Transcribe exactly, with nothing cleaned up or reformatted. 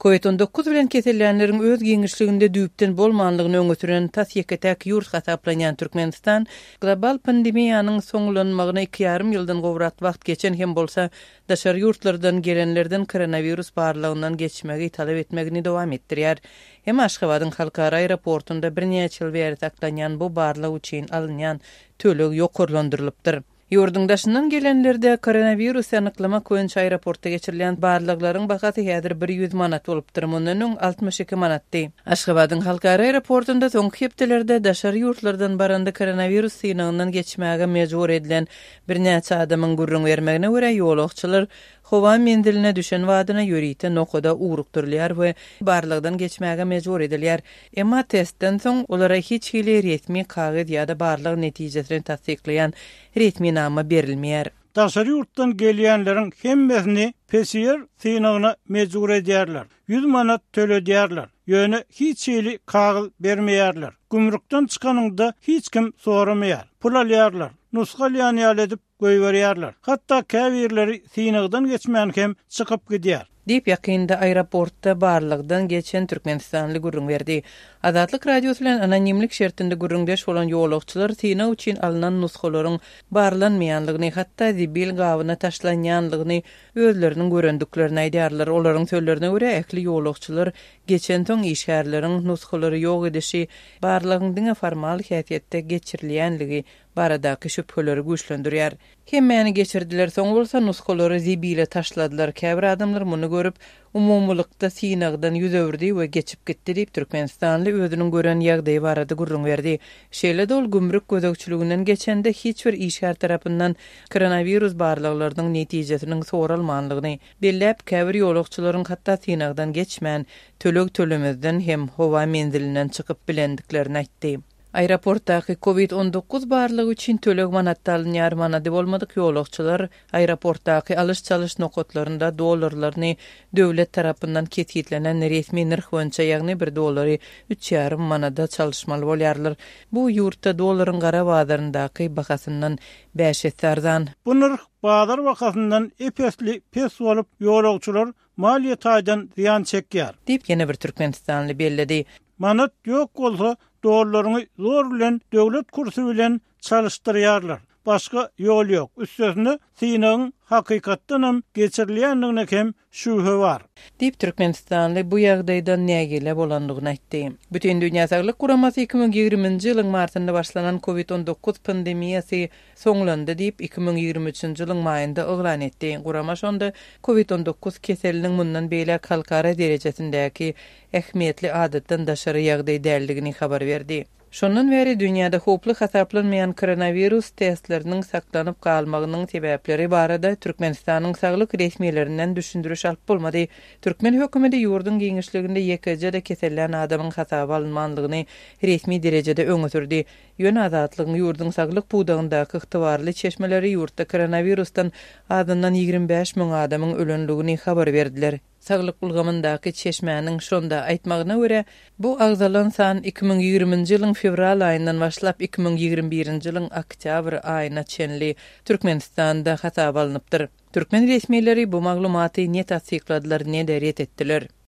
Covid on dokuz bilen kesellänleriň öz giňişliginde düýpden bolmanlygyny öňe süren tas ýeke-täk ýurt hasaplanýan Türkmenistan global pandemiýanyň soňlanmagyna iki ýarym ýyldan gowrak wagt geçen hem bolsa, daşary ýurtlardan gelenlerden koronawirus barlagyndan geçmegi talap etmegini dowam etdirýär. Hem Aşgabadyň halkara aeroportunda birnäçe ýyl bäri saklanýan bu barlag üçin alynýan töleg ýokarlandyrylypdyr. Ýurduň daşyndan gelenlerde koronawirusy anyklamak boýunça aeroportda geçirilýän barlaglaryň bahasy häzir bir ýüz manat bolupdyr, mundan öň altmyş iki manatdy. Aşgabadyň halkara aeroportunda soňky hepdelerde daşary ýurtlardan baranda koronawirus synagyndan geçmäge mejbur edilen birnäçe adamyň gürrüň bermegine görä ýolagçylar howa menziline düşen badyna ýörite nokada ugrukdyrylýar we barlagdan geçmäge mejbur edilýär. Emma testden soň olara hiç hili resmi kagyz ýa-da barlag netijesini tassyklaýan resminama berilmeýär. Daşary ýurtdan gelýänleriň hemmesini P C R synagyna mejbur edýärler. Ýüz manat töledýärler. Ýöne hiç hili kagyz bermeýärler. Gümrükden çykanyňda hiç kim soramaýar. Pul alýarlar. Nusga alýan ýaly edip goýberýärler. Hatda käbirleri synagdan geçmän hem çykyp gidýär. Diýip ýakynda aeroportda barlagdan geçen Türkmenistanly gürrüň berdi. Azatlyk Radiosy bilen anonimlik şertinde gürrüňdeş bolan ýolagçylar synag üçin alynan nusgalaryň barlanmaýanlygyny, hatda zibil gabyna taşlanýanlygyny özleriniň görendiklerini aýdýarlar. Olaryň sözlerine görä ähli ýolagçylar geçen soň işgärleriň nusgalary ýok edişi, barlagyň diňe formal häsiýetde geçirilýänligi baradaky şübheleri güýçlendirýär. Hemmäni geçirdiler, soň bolsa nusgalary zibile taşladylar. Käbir adamlar muny görüp, umumylykda synagdan ýüz öwürdi we geçip gitdi diýip Türkmenistanly özüniň gören ýagdaýy barada gürrüň berdi. Şeýle-de ol gümrük gözegçiliginden geçende hiç bir işgär tarapyndan koronawirus barlaglarynyň netijesiniň soralmanlygyny belläp, käbir ýolagçylaryň hatda synagdan geçmän, töleg tölemezden hem howa menzilinden çykyp bilendiklerini aýtdy. Aeroportdaky Covid on dokuz barlygy üçin töleg manatda alynýar. Manady bolmadyk ýolagçylar aeroportdaky alyş-çalyş nokatlarynda dollarlaryny döwlet tarapyndan kesgitlenen resmi nyrh boýunça, ýagny bir dollary üç ýarym manada çalyşmaly bolýarlar. Bu ýurtda dollaryň gara bazaryndaky bahasyndan bäş esse arzan. Bu nyrh bazar bahasyndan epesli pes bolup ýolagçylar maliýe taýdan zyýan çekýär. Diýip ýene bir Türkmenistanly belledi. Manat ýok bolsa dollaryny zor bilen döwlet kursy bilen çalyşdyrýarlar. Başga ýol ýok. Üstesine synagyň hakykatdan hem geçirilýändigine hem şübhe bar. Diýip Türkmenistanly bu ýagdaýdan nägile bolandygyny aýtdy. Bütün Dünýä Saglyk Guramasy iki müň ýigriminji ýylyň martynda başlanan Covid on dokuz pandemiýasy soňlandy diýip iki müň ýigrimi üçünji ýylyň maýynda yglan etdi. Gurama şonda Covid on dokuz keseliniň mundan beýläk halkara derejesindäki ähmiýetli adatdan daşary ýagdaý däldigini habar berdi. Şondan bäri dünýäde howply hasaplanmaýan koronawirus testleriniň saklanyp galmagynyň sebäpleri barada Türkmenistanyň saglyk resmilerinden düşündiriş alyp bolmady. Türkmen hökümeti ýurduň giňişliginde ýekeje-de kesellän adamyň hasaba alynmanlygyny resmi derejede öňe sürdi. Ýöne Azatlygyň ýurduň saglyk pudagyndaky ygtybarly çeşmeleri ýurtda koronawirusdan azyndan ýigrimi bäş müň adamyň ölenligini habar berdiler. Saglyk ulgamyndaky çeşmäniň şonda aýtmagyna görä, bu agzalan san iki müň ýigriminji ýylyň fewral aýyndan başlap iki müň ýigrimi birinji ýylyň oktýabr aýyna çenli Türkmenistanda hasaba alnypdyr. Türkmen resmileri bu maglumaty ne tassykladylar, ne-de ret etdiler.